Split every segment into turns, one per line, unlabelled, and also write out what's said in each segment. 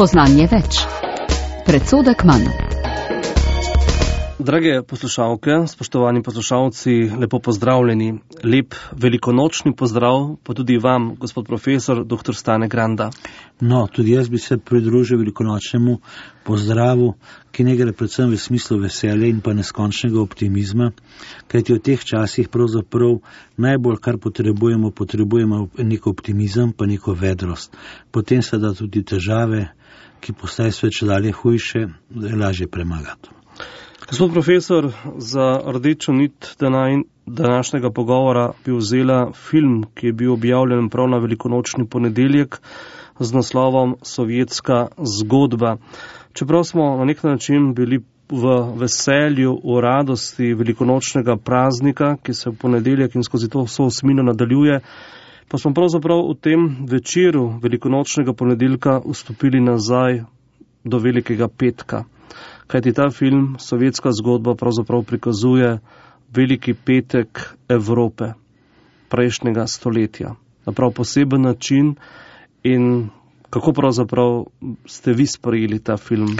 Spoznanje več. Predsodek manj.
Drage poslušalke, spoštovani poslušalci, lepo pozdravljeni. Lep velikonočni pozdrav pa tudi vam, gospod profesor, dr. Stane Granda.
No, tudi jaz bi se pridružil velikonočnemu pozdravu, ki ne gre predvsem v smislu veselja in pa neskončnega optimizma, kajti v teh časih pravzaprav najbolj, kar potrebujemo neko optimizem, pa neko vedrost. Potem se da tudi težave, ki postajajo sve čedalje hujše, lažje premagati.
Gospod profesor, za rdečo nit današnjega pogovora bi vzela film, ki je bil objavljen prav na velikonočni ponedeljek z naslovom Sovjetska zgodba. Čeprav smo na nek način bili v veselju, v radosti velikonočnega praznika, ki se v ponedeljek in skozi to vso osmino nadaljuje, pa smo pravzaprav v tem večeru velikonočnega ponedeljka vstopili nazaj do velikega petka. Kajti ta film, Sovjetska zgodba, pravzaprav prikazuje veliki petek Evrope prejšnjega stoletja. Na prav poseben način. In kako pravzaprav ste vi sprejeli ta film?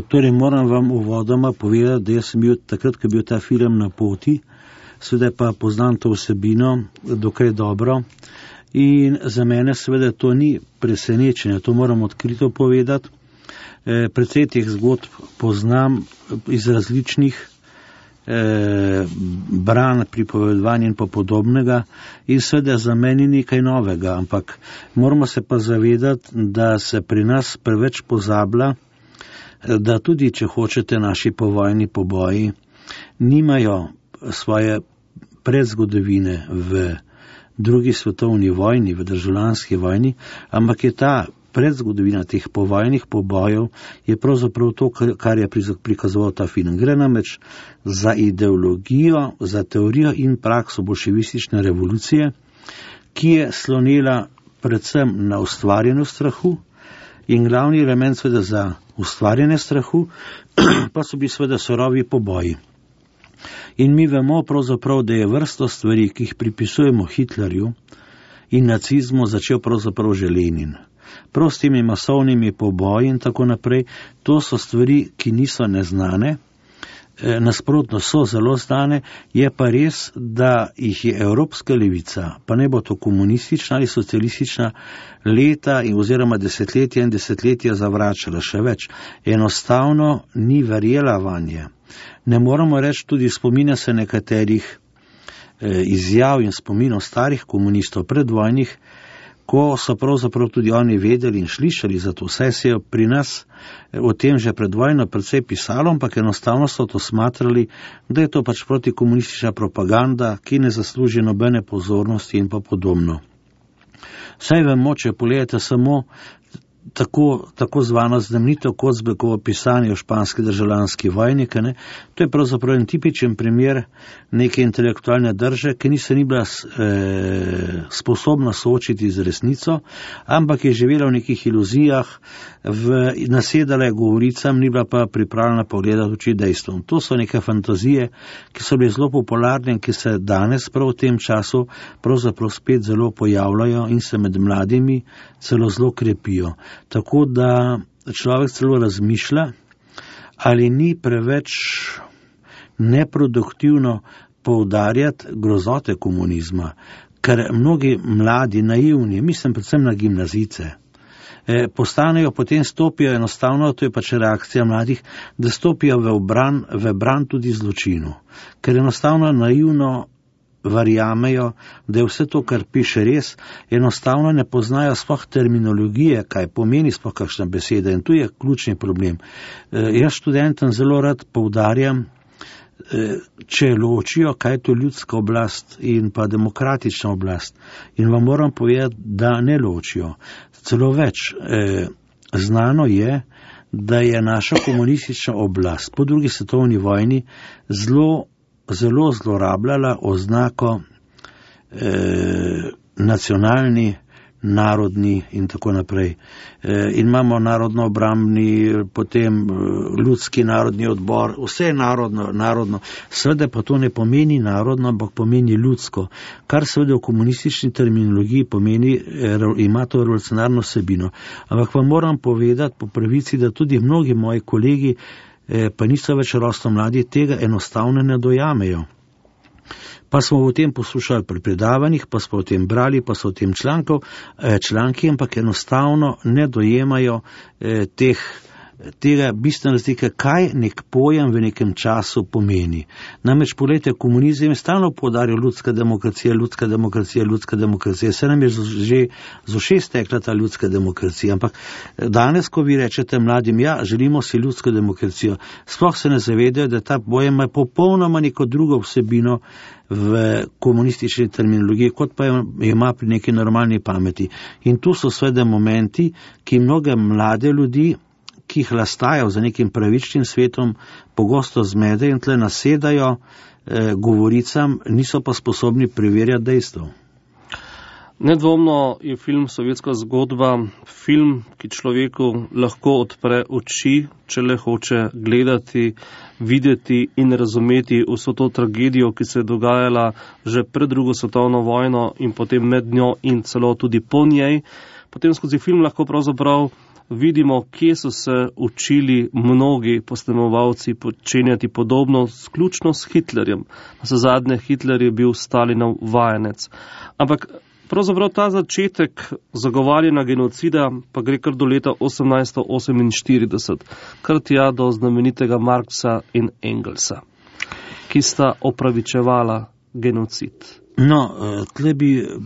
Torej moram vam uvodoma povedati, da jaz sem bil takrat, ko je bil ta film na poti, seveda pa poznam to vsebino dokaj dobro. In za mene seveda to ni presenečenje, to moram odkrito povedati. Precej teh zgodb poznam iz različnih branj, pripovedovanj in pa podobnega in seveda za meni nekaj novega, ampak moramo se pa zavedati, da se pri nas preveč pozablja, da tudi, če hočete, naši povojni poboji nimajo svoje predzgodovine v drugi svetovni vojni, v državljanski vojni, ampak je ta predzgodovina teh povojnih pobojev je pravzaprav to, kar je prikazoval ta film. Gre namreč za ideologijo, za teorijo in prakso bolševistične revolucije, ki je slonela predvsem na ustvarjanju strahu in glavni element seveda za ustvarjanje strahu pa so bili seveda surovi poboji. In mi vemo pravzaprav, da je vrsto stvari, ki jih pripisujemo Hitlerju in nacizmu, začel pravzaprav že Lenin. Prav s temi masovnimi poboji in tako naprej, to so stvari, ki niso neznane, nasprotno so zelo znane, je pa res, da jih je evropska levica, pa ne bo to komunistična ali socialistična, leta oziroma desetletja in desetletja zavračala. Še več, enostavno ni verjela vanje. Ne moramo reči, tudi spominja se nekaterih izjav in spominov starih komunistov predvojnih, ko so pravzaprav tudi oni vedeli in slišali za to. Vse se je pri nas o tem že pred vojno precej pisalo, ampak enostavno so to smatrali, da je to pač protikomunistična propaganda, ki ne zasluži nobene pozornosti in pa podobno. Saj vemo, če pogledate samo tako zvano znamenito Kozbekovo pisanje o španski državljanski vojni, to je pravzaprav en tipičen primer neke intelektualne drže, ki ni bila sposobna soočiti z resnico, ampak je živela v nekih iluzijah, nasedala je govoricam, ni bila pa pripravljena pogledati oči dejstvom. To so neke fantazije, ki so bile zelo popularne in ki se danes prav v tem času pravzaprav spet zelo pojavljajo in se med mladimi celo zelo krepijo. Tako da človek celo razmišlja, ali ni preveč neproduktivno poudarjati grozote komunizma, ker mnogi mladi, naivni, mislim predvsem na gimnazijce, postanejo, potem stopijo enostavno, to je pač reakcija mladih, da stopijo v bran tudi zločinu, ker enostavno naivno verjamejo, da je vse to, kar piše, res, enostavno ne poznajo sploh terminologije, kaj pomeni sploh kakšna beseda, in tu je ključni problem. Jaz študentom zelo rad poudarjam, če ločijo, kaj je to ljudska oblast in pa demokratična oblast. In vam moram povedati, da ne ločijo. Celo več, znano je, da je naša komunistična oblast po drugi svetovni vojni zelo zlorabljala oznako nacionalni narodni in tako naprej. In imamo narodno-obrambni, potem ljudski narodni odbor, vse je narodno. Seveda pa to ne pomeni narodno, ampak pomeni ljudsko, kar seveda v komunistični terminologiji pomeni, ima to revolucionarno vsebino. Ampak vam moram povedati po pravici, da tudi mnogi moji kolegi, pa niso več rosno mladi, tega enostavno ne dojamejo. Pa smo o tem poslušali pri predavanjih, pa smo o tem brali, pa so o tem članki, ampak enostavno ne dojemajo tega bistvene razlike, kaj nek pojem v nekem času pomeni. Namreč, poglejte, komunizem je stalno poudarjal ljudska demokracija, se nam je že z ušes tekla ta ljudska demokracija, ampak danes, ko vi rečete mladim, ja, želimo si ljudsko demokracijo, sploh se ne zavedajo, da ta pojem ima popolnoma neko drugo vsebino v komunistični terminologiji, kot pa ima pri neki normalni pameti. In tu so seveda momenti, ki mnoge mlade ljudi, ki jih lastajo za nekim pravičnim svetom, pogosto zmede in tle nasedajo govoricam, niso pa sposobni preverjati dejstev.
Nedvomno je film Sovjetska zgodba film, ki človeku lahko odpre oči, če le hoče gledati, videti in razumeti vso to tragedijo, ki se je dogajala že pred drugo svetovno vojno in potem med njo in celo tudi po njej. Potem skozi film lahko pravzaprav vidimo, kje so se učili mnogi posnemovalci počenjati podobno, vključno s Hitlerjem. Nazadnje Hitler je bil Stalinov vajenec. Ampak pravzaprav ta začetek zagovarjanja genocida pa gre kar do leta 1848, kar tja do znamenitega Marxa in Engelsa, ki sta opravičevala genocid.
No,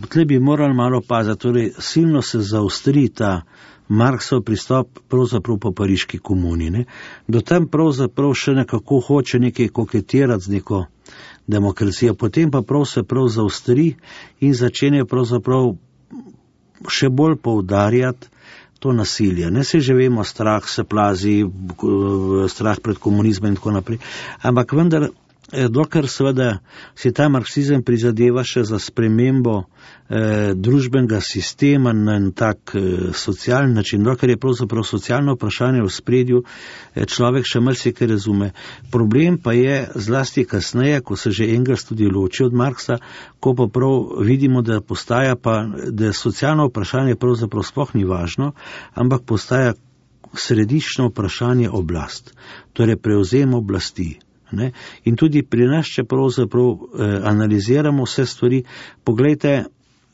tle bi morali malo paziti, torej silno se zaostri ta Marksov pristop pravzaprav po pariški komuni. Ne? Do tam pravzaprav še nekako hoče nekaj koketirati z neko demokracijo, potem pa se zaostri in začne pravzaprav še bolj poudarjati to nasilje. Ne se že vemo, strah se plazi, strah pred komunizmom in tako naprej, ampak vendar, dokler seveda si ta marksizem prizadeva še za spremembo družbenega sistema na en tak socialni način, dokler je pravzaprav socialno vprašanje v spredju, človek še marsikaj razume. Problem pa je zlasti kasneje, ko se že Engels tudi loči od Marksa, ko pa prav vidimo, da postaja pa, da socialno vprašanje pravzaprav sploh ni važno, ampak postaja središčno vprašanje oblast, torej prevzem oblasti. Ne? In tudi pri nas, če pravzaprav analiziramo vse stvari, poglejte,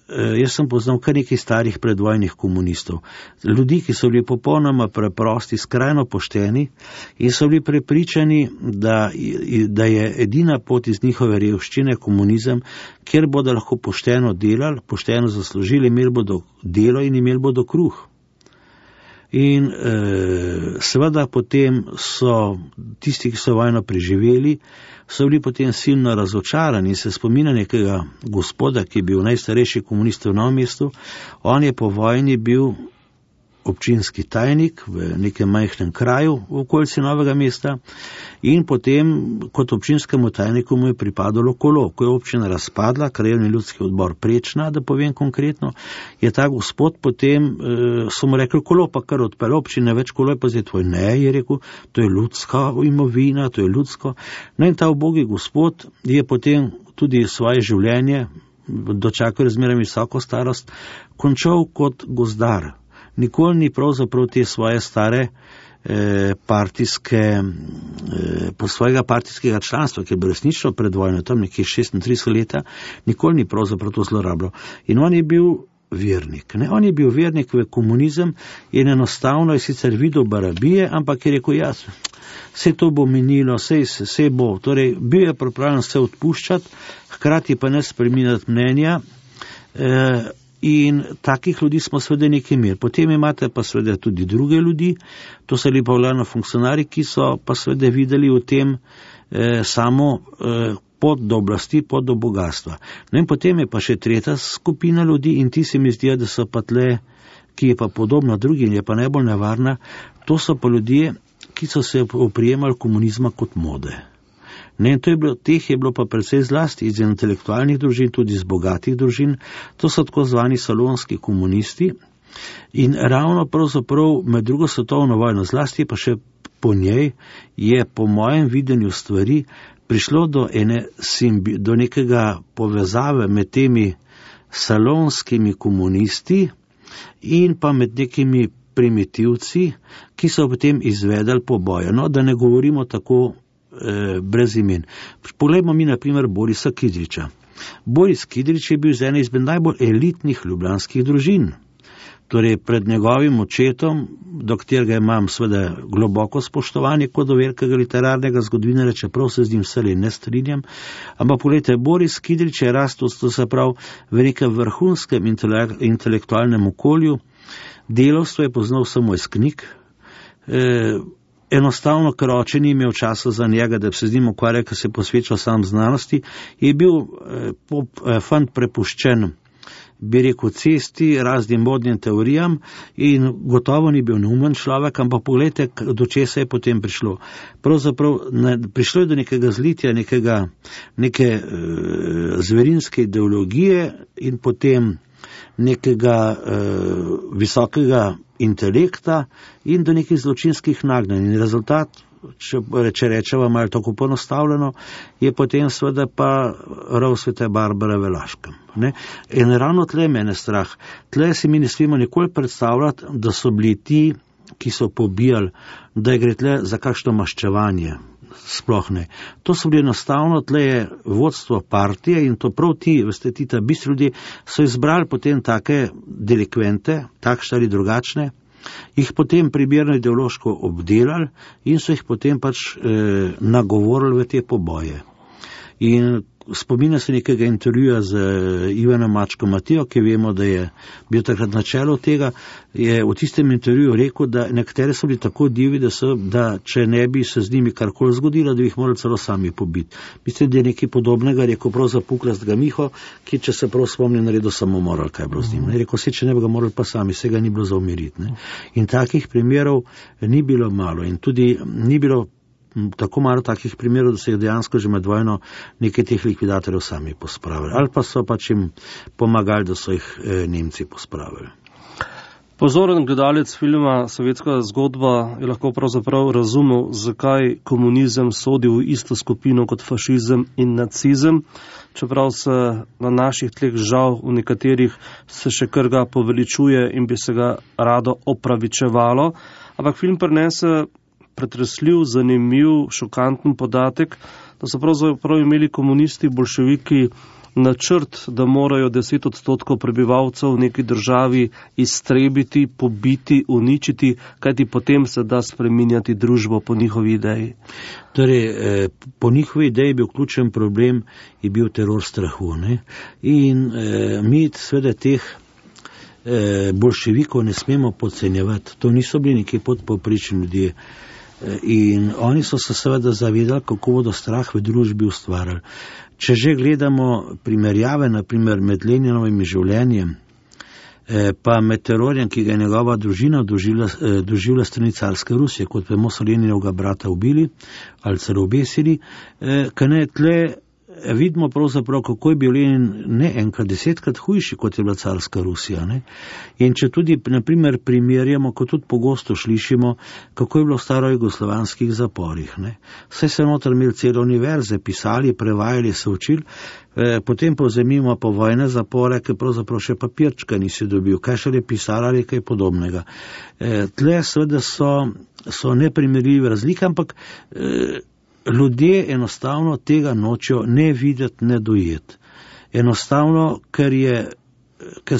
jaz sem poznal kar nekaj starih predvojnih komunistov, ljudi, ki so bili popolnoma preprosti, skrajno pošteni in so bili prepričani, da je edina pot iz njihove revščine komunizem, kjer bodo lahko pošteno delali, pošteno zaslužili, imeli bodo delo in imeli bodo kruh. In seveda potem so tisti, ki so vojno preživeli, so bili potem silno razočarani in se spominja nekega gospoda, ki je bil najstarejši komunist v Novem mestu. On je po vojni bil občinski tajnik v nekem majhnem kraju v okolici Novega mesta in potem kot občinskemu tajniku mu je pripadalo kolo. Ko je občina razpadla, krajevni ljudski odbor Prečna, da povem konkretno, je ta gospod potem, so mu rekli, kolo pa kar odpel, občina več, kolo je pa zdaj tvoj. Ne, je rekel, to je ljudska imovina, to je ljudsko. No in ta ubogi gospod je potem tudi svoje življenje, dočakal razmerno visoko starost, končal kot gozdar. Nikoli ni pravzaprav te svoje stare svojega partijskega članstva, ki je bilo resnično pred vojno, tam nekje 36 leta, nikoli ni pravzaprav to zlorabljal. In on je bil vernik. Ne? On je bil vernik v komunizem in enostavno je sicer videl barabije, ampak je rekel, ja, vse to bo minilo, vse bo. Torej, bil je pripravljen se odpuščati, hkrati pa ne spreminjati mnenja. In takih ljudi smo seveda nekaj imeli. Potem imate pa seveda tudi druge ljudi, to so bili pa glavno funkcionari, ki so pa seveda videli v tem samo pot do oblasti, pot do bogatstva. No in potem je pa še tretja skupina ljudi in ti se mi zdijo, da so pa tle, ki je pa podobna drugim, je pa najbolj nevarna, to so pa ljudje, ki so se oprijemali komunizma kot mode. Ne, teh je bilo pa precej zlasti iz intelektualnih družin, tudi iz bogatih družin. To so tako zvani salonski komunisti. In ravno pravzaprav med drugo svetovno vojno, zlasti pa še po njej, je po mojem videnju stvari prišlo do nekega povezave med temi salonskimi komunisti in pa med nekimi primitivci, ki so potem izvedali poboje. No, da ne govorimo tako brez imen. Poglejmo mi na primer Borisa Kidriča. Boris Kidrič je bil z ene izmed najbolj elitnih ljubljanskih družin. Torej pred njegovim očetom, do katerega imam seveda globoko spoštovanje kot do velikega literarnega zgodovinarja, čeprav se z njim vselej ne strinjam, ampak poglejte, Boris Kidrič je rastel, to se pravi, v nekem vrhunskem intelektualnem okolju, delavstvo je poznal samo iz knjig, enostavno, ker oče ni imel časa za njega, da bi se z njim ukvarjal, ker se je posvečal sam znanosti, je bil fant prepuščen, bi rekel, cesti, raznim modnim teorijam in gotovo ni bil neumen človek, ampak pogledajte, do česa je potem prišlo. Pravzaprav prišlo je do nekega zlitja, neke zverinske ideologije in potem nekega visokega intelekta in do nekih zločinskih nagnjenj. In rezultat, če rečeva malo tako ponostavljeno, je potem seveda pa rov Svete Barbare v Laškem. Ne? In ravno tle mene strah. Tle si mi ne smemo nikoli predstavljati, da so bili ti, ki so pobijali, da gre tle za kakšno maščevanje. Sploh ne. To so bili enostavno, tle je vodstvo partije in to prav ti, veste, ti ta bistri ljudje, so izbrali potem take delikvente, takšne ali drugačne, jih potem primerno ideološko obdelali in so jih potem pač nagovorili v te poboje. In spominja se nekega intervjuja z Ivanom Mačko Matijo, ki vemo, da je bil takrat na čelu tega, je v tistem intervjuju rekel, da nekatere so bili tako divi, da če ne bi se z njimi karkoli zgodilo, da bi jih morali celo sami pobiti. Mislim, da je nekaj podobnega rekel prav za Puklastega Miho, ki, če se prav spomnim, naredil samomor, kaj je bilo z njim. Rekel se, če ne bi ga morali pa sami, se ga ni bilo za umiriti. In takih primerov ni bilo malo in tudi ni bilo tako malo takih primerov, da se je dejansko že med vojno nekaj teh likvidatorjev sami pospravili. Ali pa so pač jim pomagali, da so jih Nemci pospravili.
Pozoren gledalec filma Sovjetska zgodba je lahko pravzaprav razumel, zakaj komunizem sodi v isto skupino kot fašizem in nacizem, čeprav se na naših tleh žal v nekaterih se še kar ga poveličuje in bi se ga rado opravičevalo, ampak film prinese pretresljiv, zanimiv, šokanten podatek, da so pravzaprav imeli komunisti, bolševiki načrt, da morajo 10% prebivalcev v neki državi iztrebiti, pobiti, uničiti, kajti potem se da spreminjati družbo po njihovi ideji.
Torej, po njihovi ideji bil ključen problem, je bil teror strahu. Ne? In mi seveda teh bolševikov ne smemo podcenjevati. To niso bili neki podpovprečni ljudje. In oni so se seveda zavedali, kako bodo strah v družbi ustvarjali. Če že gledamo primerjave, naprimer med Leninovim življenjem, pa med terorjem, ki ga je njegova družina doživela strani carske Rusije, kot vemo, so Leninovega brata ubili ali celo obesili, kaj ne tle vidimo pravzaprav, kako je bil Lenin ne enkrat, 10krat hujši, kot je bila carska Rusija. Ne? In če tudi, naprimer, primerjamo, kot tudi pogosto slišimo, kako je bilo v starojugoslovanskih zaporih. Ne? Vse se noter imeli cele univerze, pisali, prevajali, se učili, potem povzemimo po vojne zapore, ki pravzaprav še papirčka nisi dobil, kaj še le pisali ali kaj podobnega. Tle seveda so neprimerljive razlike, ampak ljudje enostavno tega nočejo ne videti, ne dojeti. Enostavno, ker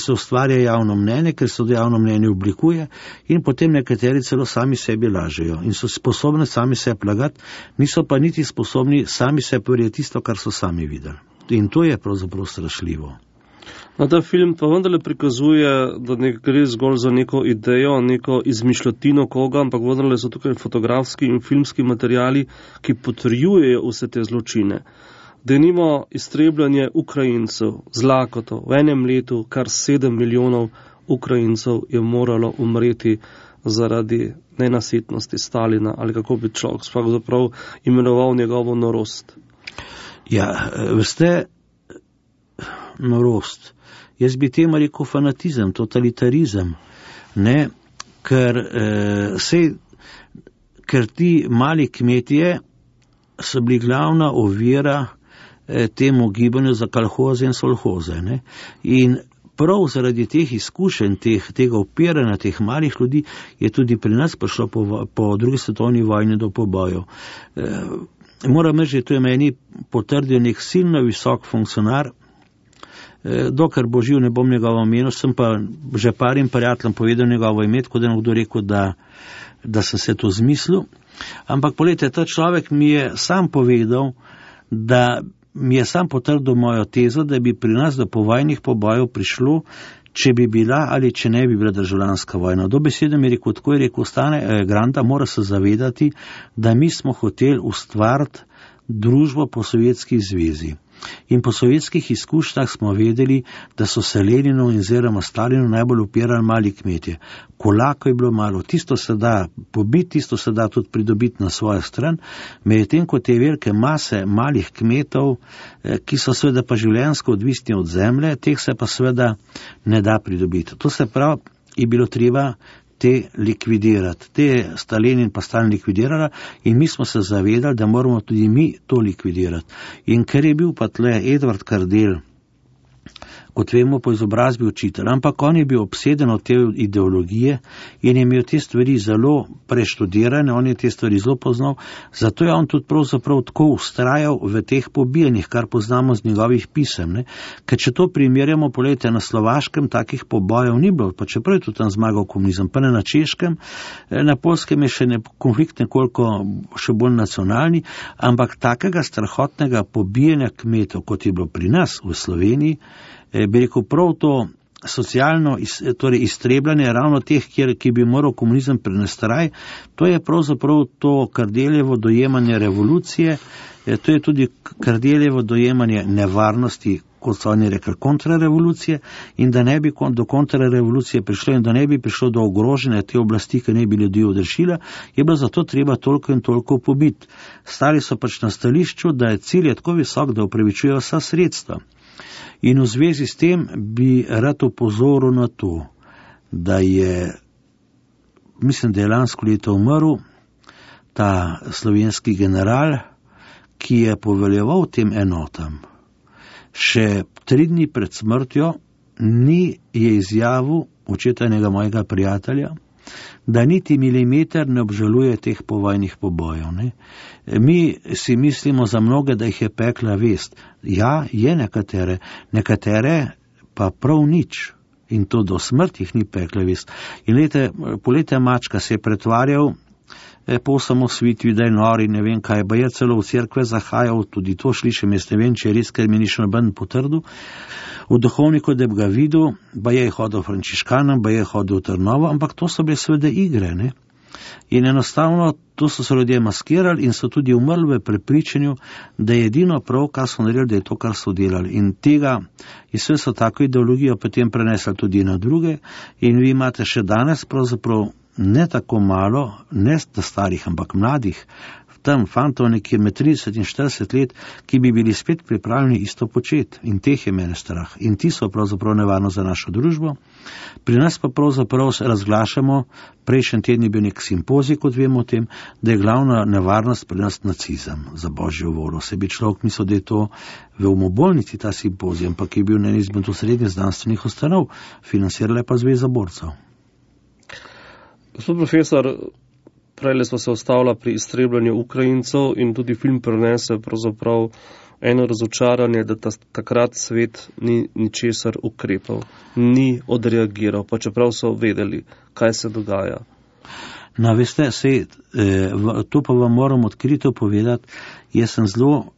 se ustvarja javno mnenje, ker se javno mnenje oblikuje in potem nekateri celo sami sebi lažejo in so sposobni sami sebi lagati, niso pa niti sposobni sami sebi verjeti tisto, kar so sami videli. In to je pravzaprav strašljivo.
No, ta film pa vendarle prikazuje, da ne gre zgolj za neko idejo, neko izmišljotino koga, ampak vendarle so tukaj fotografski in filmski materiali, ki potrjujejo vse te zločine. Denimo iztrebljanje Ukrajincev z lakoto. V enem letu kar 7 milijonov Ukrajincev je moralo umreti zaradi nenasitnosti Stalina, ali kako bi človek pravzaprav imenoval njegovo norost.
Ja, veste, norost. Jaz bi temu rekel fanatizem, totalitarizem, ne, ker ti mali kmetije so bili glavna ovira temu gibanju za kolhoze in solhoze, ne, in prav zaradi teh izkušenj, tega upiranja teh malih ljudi je tudi pri nas prišlo po drugi svetovni vojni do pobojev. Moram reči, to je meni potrdil nek silno visok funkcionar, dokler bo živ, ne bom njegovo imeno, sem pa že parim prijateljem povedal njegovo ime, tako da je nekdo rekel, da sem se to zmislil. Ampak poglejte, ta človek mi je sam povedal, da mi je sam potrdil mojo tezo, da bi pri nas do povojnih pobojev prišlo, če bi bila ali če ne bi bila državljanska vojna. Do besede mi je rekel, tako je rekel, Stane Granda mora se zavedati, da mi smo hoteli ustvariti družbo po Sovjetski zvezi. In po sovjetskih izkušnjah smo vedeli, da so se Leninu in oziroma Stalinu najbolj upirali mali kmetje. Kolako je bilo malo, tisto se da pobiti, tisto se da tudi pridobiti na svojo stran, medtem ko te velike mase malih kmetov, ki so seveda pa življenjsko odvisni od zemlje, teh se pa seveda ne da pridobiti. To se pravi, je bilo treba te likvidirati. Te sta Lenin pa Stalin likvidirala in mi smo se zavedali, da moramo tudi mi to likvidirati. In ker je bil pa tle Edvard Kardel, kot vemo, po izobrazbi učitelj, ampak on je bil obseden od te ideologije in je imel te stvari zelo preštudirane, on je te stvari zelo poznal, zato je on tudi pravzaprav tako ustrajal v teh pobijanjih, kar poznamo z njegovih pisem. Ne? Ker če to primerjamo, poglejte, na Slovaškem takih pobojev ni bilo, pa čeprav je tudi tam zmagal komunizem, pa ne na Češkem, na Poljskem je še konflikt nekoliko še bolj nacionalni, ampak takega strahotnega pobijanja kmetov, kot je bilo pri nas v Sloveniji, bi rekel, prav to socialno torej iztrebljanje ravno teh, ki bi moral komunizem prenesti raj, to je pravzaprav to Kardeljevo dojemanje revolucije, to je tudi Kardeljevo dojemanje nevarnosti, kot so oni rekli, kontrarevolucije, in da ne bi do kontrarevolucije prišlo in da ne bi prišlo do ogrožene te oblasti, ki ne bi ljudi odrešila, je bilo zato treba toliko in toliko pobiti. Stali so pač na stališču, da je cilj tako visok, da upravičujejo vsa sredstva. In v zvezi s tem bi rad opozoril na to, da je, mislim, da je lansko leto umrl ta slovenski general, ki je poveljeval tem enotam. Še 3 dni pred smrtjo je izjavil očetanega mojega prijatelja, da niti milimeter ne obžaluje teh povojnih pobojev. Ne? Mi si mislimo za mnoge, da jih je pekla vest. Ja, je nekatere pa prav nič. In to do smrti jih ni pekla vest. In polete mačka se je pretvarjal po osamosvojitvi, da je nori, ne vem kaj, pa je celo v cerkve zahajal, tudi to slišim, jaz ne vem, če je res, ker mi ni še noben potrdil. V duhovniku, da bi ga videl, pa je hodil frančiškanom, pa je hodil v Trnovo, ampak to so bile seveda igre, ne? In enostavno to so se ljudje maskirali in so tudi umrli v prepričanju, da je edino prav, kar so naredili, da je to, kar so delali. In tega, in sve so tako ideologijo potem prenesli tudi na druge in vi imate še danes pravzaprav ne tako malo, ne starih, ampak mladih, tam fantov nekje med 30 in 40 let, ki bi bili spet pripravljeni isto početi. In teh je mene strah. In ti so pravzaprav nevarno za našo družbo. Pri nas pa pravzaprav razglašamo, prejšnji teden je bil nek simpozij, kot vemo o tem, da je glavna nevarnost pri nas nacizem, za božjo voljo. Se bi človek mislil, da je to v umobolnici ta simpozij, ampak je bil na izmed srednjih znanstvenih ustanov, financirala pa Zveza borcev.
Gospod profesor, prej smo se ustavili pri iztrebljanju Ukrajincev in tudi film prenese pravzaprav eno razočaranje, da takrat svet ni ničesar ukrepal, ni odreagiral, pa čeprav so vedeli, kaj se dogaja.
No, veste, to pa vam moram odkrito povedati, jaz sem zelo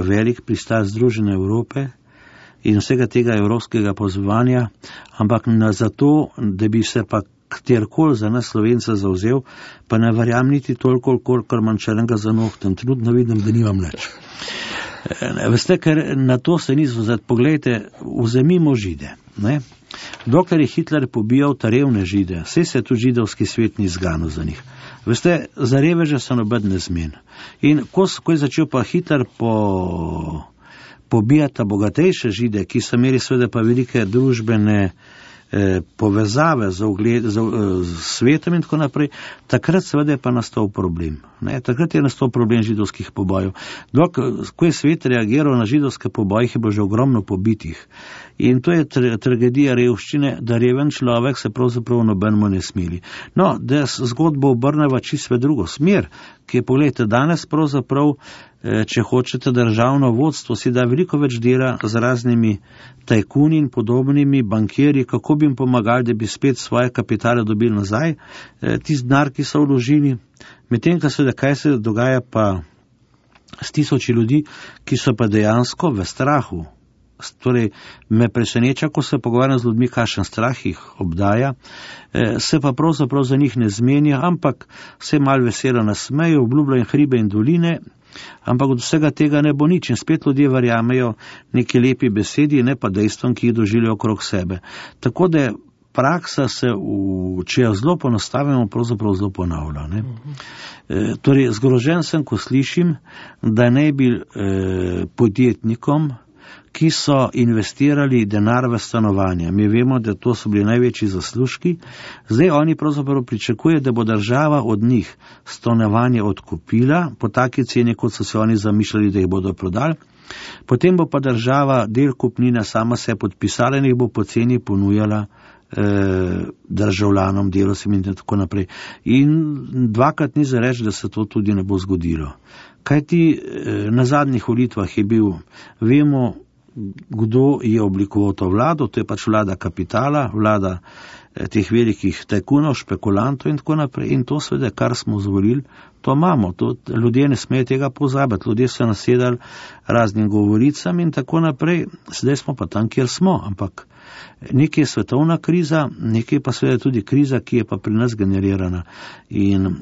velik pristal Združene Evrope in vsega tega evropskega pozvanja, ampak zato, da bi se pa katerkoli za nas Slovenca zauzel, pa ne verjam niti toliko, kolikor manj črnega za nohtem. Trenutno vidim, da nimam nič. Veste, ker na to se ni zauzeti. Poglejte, vzemimo Žide. Ne? Dokler je Hitler pobijal ta revne Žide, vse se tu židovski svet ni zganil za njih. Veste, za reveže so noben ne zmen. In ko je začel pa Hitler po pobijata bogatejše Žide, ki so imeli seveda pa velike družbene povezave z svetom in tako naprej, takrat seveda je pa nastal problem. Takrat je nastal problem židovskih pobojev. Ko je svet reagiral na židovske poboje, je bilo že ogromno pobitih. In to je tragedija revščine, da reven človek se pravzaprav nobenemu ne smili. No, da zgodbo obrneva čisto v drugo smer, ki je, pogledajte, danes pravzaprav, če hočete, državno vodstvo si da veliko več dela z raznimi tajkuni in podobnimi bankirji, kako bi jim pomagali, da bi spet svoje kapitale dobili nazaj, tisti denar, ki so vložili. Medtem, kaj se dogaja pa s tisoči ljudi, ki so pa dejansko v strahu. Torej, me preseneča, ko se pogovarjam z ljudmi, kakšen strah jih obdaja, se pa pravzaprav za njih ne zmenja, ampak se mal veselo nasmejo, obljubljajo hribe in doline, ampak od vsega tega ne bo nič in spet ljudje verjamejo neki lepi besedi, ne pa dejstvom, ki jih doživljajo okrog sebe. Tako da praksa se, če jo zelo ponastavimo, pravzaprav zelo ponavlja. Torej, zgrožen sem, ko slišim, da ne bi podjetnikom, ki so investirali denar v stanovanja. Mi vemo, da to so bili največji zaslužki. Zdaj oni pravzaprav pričakujejo, da bo država od njih stanovanje odkupila po taki ceni, kot so se oni zamišljali, da jih bodo prodali. Potem bo pa država del kupnine sama se podpisala in jih bo poceni ponujala državljanom, delavcem in tako naprej. In dvakrat ni za reči, da se to tudi ne bo zgodilo. Kajti na zadnjih volitvah je bil, vemo, kdo je oblikoval to vlado, to je pač vlada kapitala, vlada teh velikih tajkunov, špekulantov in tako naprej. In to seveda, kar smo zvolili, to imamo. Ljudje ne smejo tega pozabiti. Ljudje so nasedali raznim govoricam in tako naprej. Zdaj smo pa tam, kjer smo. Ampak nekaj je svetovna kriza, nekaj pa seveda tudi kriza, ki je pa pri nas generirana. In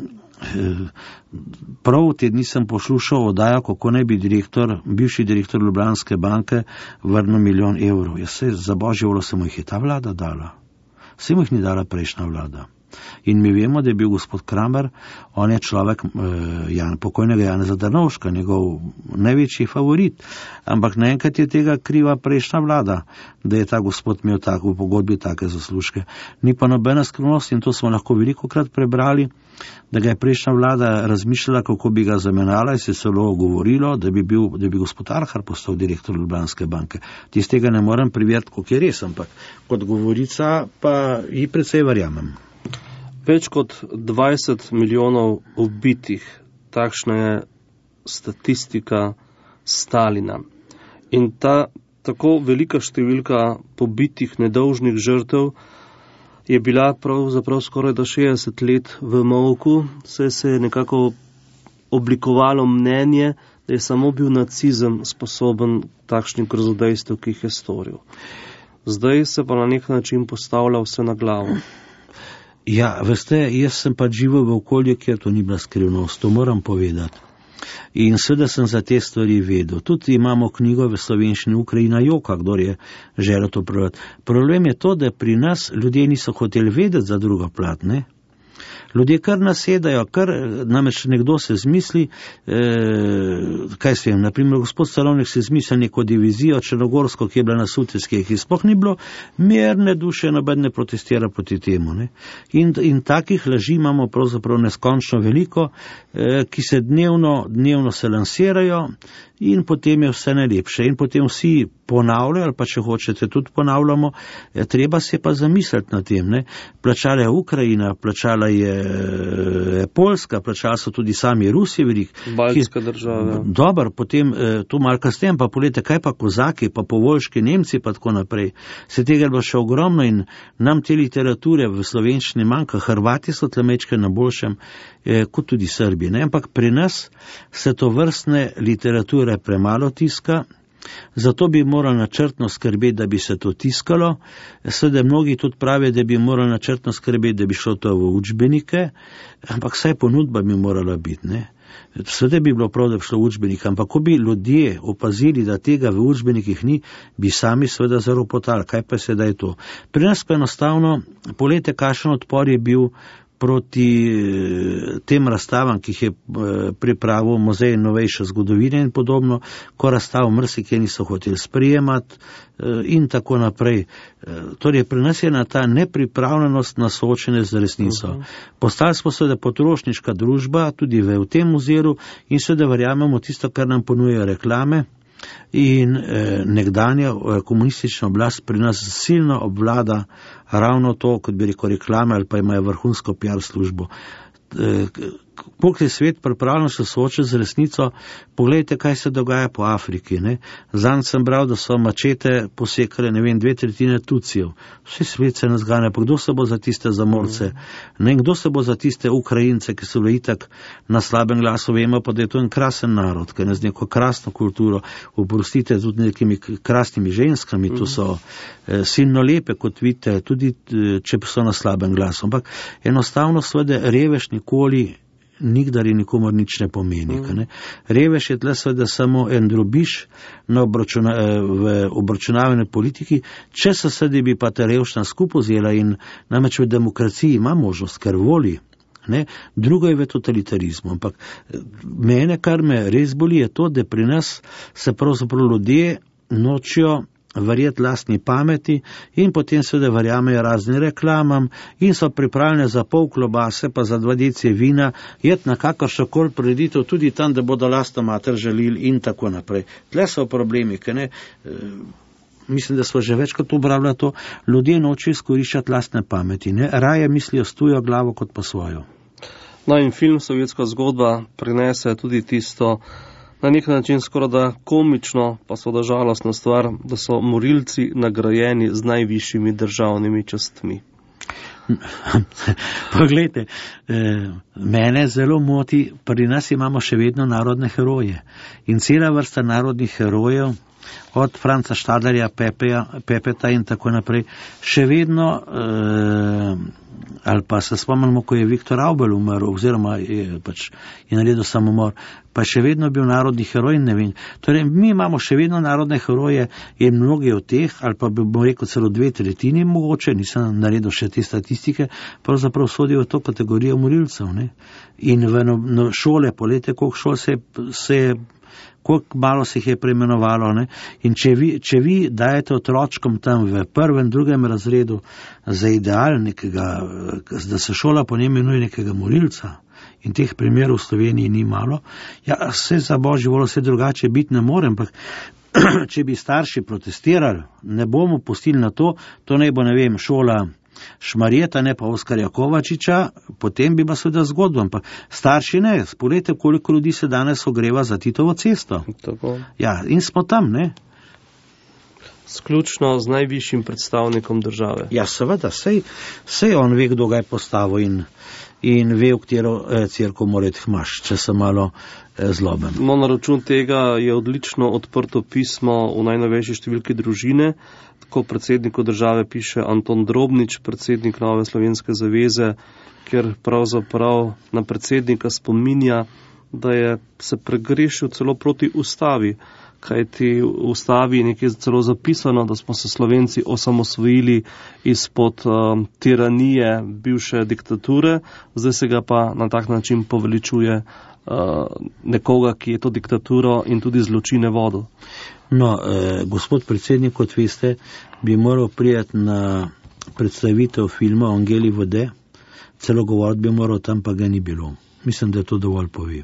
prav te dni sem poslušal oddajo, kako naj bi bivši direktor Ljubljanske banke vrnil 1 milijon evrov. Jaz se za božjo voljo se mu jih je ta vlada dala. Se mu jih ni dala prejšnja vlada. In mi vemo, da je bil gospod Kramer, on je človek pokojnega Janeza Drnovška, njegov največji favorit. Ampak naenkrat je tega kriva prejšnja vlada, da je ta gospod imel v pogodbi take zaslužke. Ni pa nobena skrivnost in to smo lahko velikokrat prebrali, da ga je prejšnja vlada razmišljala, kako bi ga zamenjala in se celo govorilo, da bi gospod Arhar postal direktor Ljubljanske banke. Tistega ne morem preveriti, koliko je res, ampak kot govorica pa ji precej verjamem.
Več kot 20 milijonov ubitih, takšna je statistika Stalina. In ta tako velika številka pobitih nedolžnih žrtev je bila pravzaprav skoraj do 60 let v molku, saj se je nekako oblikovalo mnenje, da je samo bil nacizem sposoben takšnih grozodejstev, ki jih je storil. Zdaj se pa na nek način postavlja vse na glavo.
Ja, veste, jaz sem pa živel v okolju, kjer to ni bila skrivnost, to moram povedati. In seveda sem za te stvari vedel. Tudi imamo knjigo v slovenščini Ukrajina joka, kdor je želel to prebrati. Problem je to, da pri nas ljudje niso hoteli vedeti za drugo plat, ne? Ljudje kar nasedajo, namreč nekdo se zmisli, kaj se vem, naprimer gospod Stalovnik se zmisli neko divizijo črnogorsko, ki je bila na Sutjeski, ki sploh ni bilo mirne duše, noben ne protestira proti temu. Ne? In takih laži imamo pravzaprav neskončno veliko, ki se dnevno se lansirajo in potem je vse najlepše. In potem vsi ponavljajo, ali pa če hočete tudi ponavljamo, treba se pa zamisliti na tem. Ne? Plačala je Ukrajina, plačala je Poljska, plačala so tudi sami Rusi velik.
Baltska država.
Dobar, potem tu malo kasneje, pa poglejte, kaj pa kozaki, pa povoljški Nemci, pa tako naprej. Se tega bo še ogromno in nam te literature v slovenščini manjka. Hrvati so tlemečke na boljšem, kot tudi Srbi. Ne? Ampak pri nas se to vrstne literature premalo tiska, zato bi morali načrtno skrbeti, da bi se to tiskalo. Seveda mnogi tudi pravijo, da bi morali načrtno skrbeti, da bi šlo to v učbenike, ampak saj ponudba bi morala biti. Ne? Seveda bi bilo prav, da bi šlo v učbenik, ampak ko bi ljudje opazili, da tega v učbenikih ni, bi sami seveda zaropotali. Kaj pa sedaj to? Pri nas pa enostavno, poglejte, kakšen odpor je bil proti tem razstavam, ki jih je pripravil Muzej novejše zgodovine in podobno, ko razstav marsikje niso hoteli sprijemati in tako naprej. Torej, pri nas je ta nepripravljenost na soočenje z resnico. Postali smo seveda potrošniška družba, tudi v tem muzeju, in seveda verjamemo tisto, kar nam ponujajo reklame. In nekdanja komunistična oblast pri nas silno obvlada ravno to, kot bi rekel, reklame ali pa imajo vrhunsko PR službo. Koliko je svet pripravljen se soočiti z resnico, pogledajte, kaj se dogaja po Afriki. Zanj sem bral, da so mačete posekale, 2/3 Tutsijev. Vse svet se nas gane, pa kdo se bo za tiste zamorce? Kdo se bo za tiste Ukrajince, ki so bili itak na slabem glasu? Vemo pa, da je to en krasen narod, ki je z neko krasno kulturo, oprostite, tudi nekimi krasnimi ženskami, tu so silno lepe, kot vidite, tudi če so na slabem glasu. Ampak enostavno seveda revež nikoli nikdar in nikomor nič ne pomeni. Revež je tle seveda samo en drobiž v obračunavanju politiki, če se seveda bi pa ta revščina skupaj vzela in namreč v demokraciji ima možnost, ker voli. Drugo je v totalitarizmu. Ampak mene, kar me res boli, je to, da pri nas se pravzaprav ljudje nočijo verjeti lastni pameti in potem seveda verjamejo raznim reklamam in so pripravljene za pol klobase pa za 2 deci vina jeti na kakršnokoli prireditev, tudi tam, da bodo lastno mater želili in tako naprej. Tle so problemi, mislim, da smo že večkrat obravnavali to, ljudje nočijo izkoriščati lastne pameti, raje mislijo s tujo glavo kot pa svojo.
No in film Sovjetska zgodba prinese tudi tisto na nek način skoraj da komično, pa seveda žalostna stvar, da so morilci nagrajeni z najvišjimi državnimi častmi.
Poglejte, mene zelo moti, pri nas imamo še vedno narodne heroje in cela vrsta narodnih herojev, od Franca Štadlerja, Pepeta in tako naprej, še vedno, ali pa se spomnimo, ko je Viktor Avbel umrl, oziroma je naredil samomor, pa še vedno bil narodni heroj, ne vem. Torej, mi imamo še vedno narodne heroje in mnogi od teh, ali pa bi rekel celo 2/3 mogoče, nisem naredil še te statistike, pravzaprav sodijo v to kategorijo morilcev. In v šole, polete, koliko šol se koliko malo se jih je preimenovalo. In če vi dajete otročkom tam v 1., 2. razredu za ideal nekega, da se šola po njem imenuje nekega morilca, in teh primerov v Sloveniji ni malo, vse za božji voljo, vse drugače biti ne more, ampak če bi starši protestirali, ne bomo pustili na to naj bo, šola Šmarjeta, ne pa Oskarja Kovačiča, potem bi pa seveda zgodbo, ampak starši ne, spoglejte, koliko ljudi se danes ogreva za Titovo cesto.
Tako.
In smo tam,
Sključno z najvišjim predstavnikom države.
Seveda, sej on ve, kdo ga je postavil in ve, v katero cerkev mora iti hmaš, če se malo zloben.
Na račun tega je odlično odprto pismo v najnovejši številki Družine, ko predsedniku države piše Anton Drobnič, predsednik Nove slovenske zaveze, kjer pravzaprav na predsednika spominja, da je se pregrešil celo proti ustavi, kajti v ustavi je nekaj celo zapisano, da smo se Slovenci osamosvojili izpod tiranije bivše diktature, zdaj se ga pa na tak način poveličuje nekoga, ki je to diktaturo in tudi zločine vodil.
Gospod predsednik, kot veste, bi moral prijeti na predstavitev filma Angeli vode, celo govoriti bi moral, tam pa ga ni bilo. Mislim, da je to dovolj pove.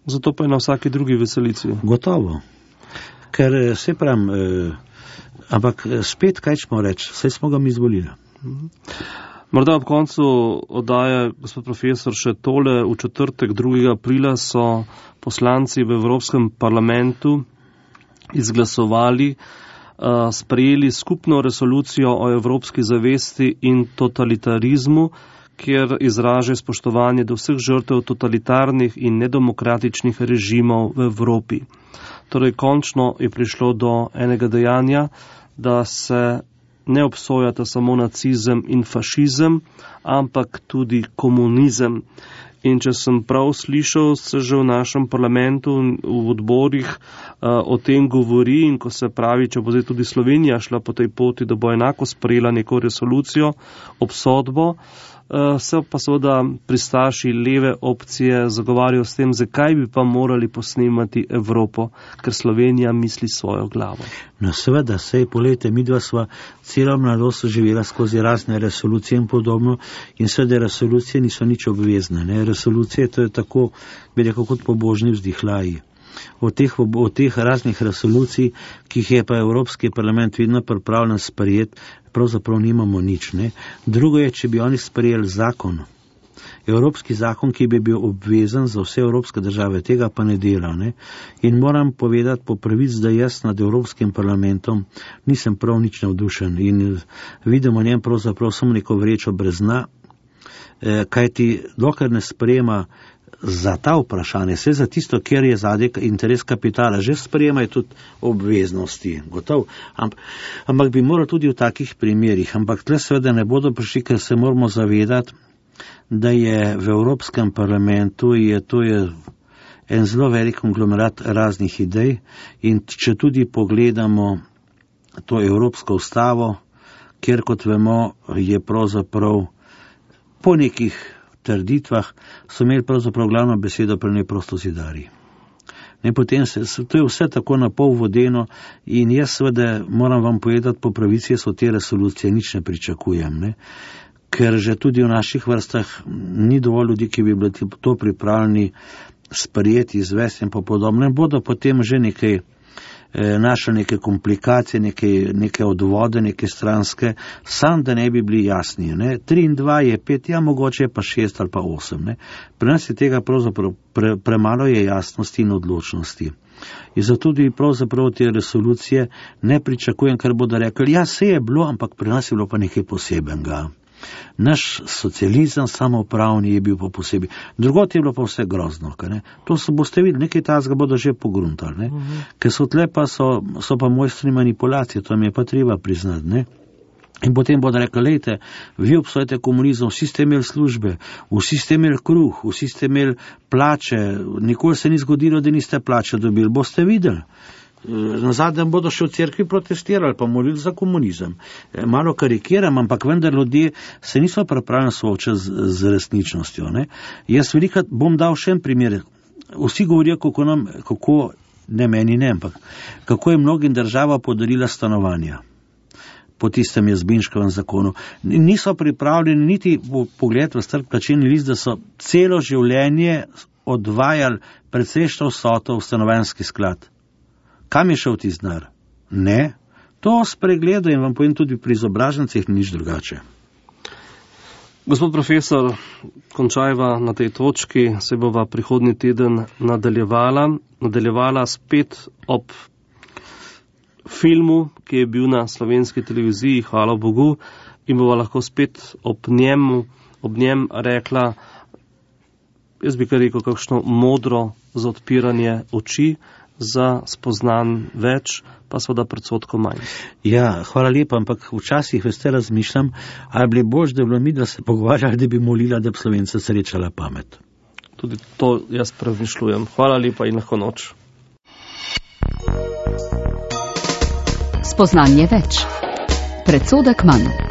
Zato pa je na vsaki drugi veselici.
Gotovo. Ker se pravim, ampak spet kaj ćemo reči, vse smo ga mi izvolili.
Morda ob koncu oddaje, gospod profesor, še tole. V četrtek 2. aprila so poslanci v Evropskem parlamentu izglasovali, sprejeli skupno resolucijo o evropski zavesti in totalitarizmu, kjer izraža spoštovanje do vseh žrtev totalitarnih in nedemokratičnih režimov v Evropi. Torej, končno je prišlo do enega dejanja, da se ne obsojata samo nacizem in fašizem, ampak tudi komunizem. In če sem prav slišal, se že v našem parlamentu, v odborih o tem govori, in ko se pravi, če bo zdaj tudi Slovenija šla po tej poti, da bo enako sprejela neko resolucijo, obsodbo, se pa seveda pristaši leve opcije zagovarjajo s tem, zakaj bi pa morali posnemati Evropo, ker Slovenija misli svojo glavo.
No seveda, sej polete, midva sva celo mladost živela skozi razne resolucije in podobno, in seveda resolucije niso nič obvezne. Ne? Resolucije to je tako, bi rekel, kot pobožni vzdihlaji. Od teh raznih resolucij, ki jih je pa Evropski parlament vedno pripravljen sprejeti, pravzaprav nimamo nič. Ne? Drugo je, če bi oni sprejeli zakon, evropski zakon, ki bi bil obvezen za vse evropske države, tega pa ne dela. Ne? In moram povedati po pravici, da jaz nad Evropskim parlamentom nisem prav nič navdušen in vidimo njem pravzaprav samo neko vrečo brez dna, kajti dokler ne sprejema za ta vprašanje, vse za tisto, kjer je zadnji interes kapitala, že sprejemajo tudi obveznosti, gotov. Ampak bi moral tudi v takih primerih, ampak tle seveda ne bodo prišli, ker se moramo zavedati, da je v Evropskem parlamentu to je en zelo velik konglomerat raznih idej, in če tudi pogledamo to Evropsko ustavo, kjer, kot vemo, je pravzaprav po nekih trditvah so imeli pravzaprav glavno besedo pri njej prostozidarji. Potem to je vse tako na pol vodeno in jaz seveda moram vam povedati po pravici, jaz od te resolucije nič ne pričakujem, ne? Ker že tudi v naših vrstah ni dovolj ljudi, ki bi bili to pripravljeni sprejeti, izvesti in podobno. Bodo potem že nekaj našli neke komplikacije, neke odvode, neke stranske, sam da ne bi bili jasni. Ne? 3 in 2 je 5, ja mogoče je pa 6 ali pa 8. Ne? Pri nas je tega pravzaprav premalo je jasnosti in odločnosti. In zato tudi pravzaprav te resolucije ne pričakujem, ker bodo rekli, ja se je bilo, ampak pri nas je bilo pa nekaj posebenega. Naš socializem samoupravni je bil pa posebej. Drugot je bilo pa vse grozno. Ne? To boste videli, nekaj tazga bodo že pogruntali. Ne? Ker so tle pa so pa mojstri manipulacije, to mi je pa treba priznati. Ne? In potem bodo rekli, lejte, vi obsojate komunizem, vsi ste imeli službe, vsi ste imeli kruh, vsi ste imeli plače, nikoli se ni zgodilo, da niste plače dobili. Boste videli. Na zadnjem bodo še v cerkvi protestirali, pa molili za komunizem. Malo karikiram, ampak vendar ljudje se niso pripravljeni soočati z resničnostjo. Ne? Jaz velikrat bom dal še en primer. Vsi govorijo, kako je mnogim država podarila stanovanja po tistem Jazbinškovem zakonu. Niso pripravljeni niti pogled v strp plačilni list, da so celo življenje odvajali precejšnjo vsoto v stanovanjski sklad. Kam je šel ti znar? Ne. To spregledajo in vam povem tudi pri izobražencih nič drugače.
Gospod profesor, končajva na tej točki, se bova prihodnji teden nadaljevala spet ob filmu, ki je bil na slovenski televiziji, hvala Bogu, in bova lahko spet ob njem rekla, jaz bi kar rekel, kakšno modro za odpiranje oči, za spoznan več, pa seveda predsodkov manj.
Ja, hvala lepa, ampak včasih veste razmišljam, ali bi bož, da bi bilo mi, da se pogovarjali, da bi molila, da bi Slovenca srečala pamet.
Tudi to jaz premišljujem. Hvala lepa in lahko noč.
Spoznanje več. Predsodek manj.